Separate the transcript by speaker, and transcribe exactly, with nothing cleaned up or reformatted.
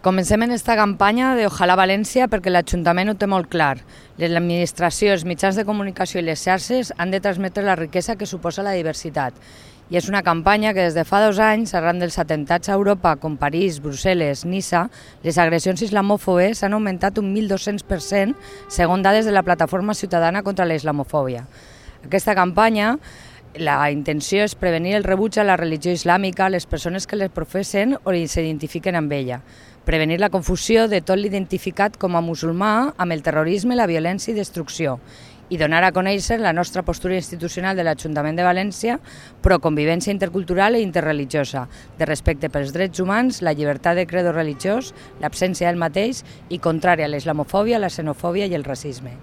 Speaker 1: Comencem en esta campanya de Ojalà València perquè l'Ajuntament ho té molt clar. L'administració, els mitjans de comunicació i les xarxes han de transmetre la riquesa que suposa la diversitat. I és una campanya que des de fa dos anys, arran dels atemptats a Europa com París, Brussel·les, Niça, les agressions islamòfobes han augmentat un mil dos-cents per cent segons dades de la Plataforma Ciutadana contra la Islamofòbia. Aquesta campanya, la intenció és prevenir el rebuig a la religió islàmica a les persones que les professen o s'identifiquen amb ella, prevenir la confusió de tot l'identificat com a musulmà amb el terrorisme, la violència i destrucció, i donar a conèixer la nostra postura institucional de l'Ajuntament de València pro convivència intercultural i interreligiosa, de respecte pels drets humans, la llibertat de credo religiós, l'absència del mateix i contrària a la islamofòbia, la xenofòbia i el racisme.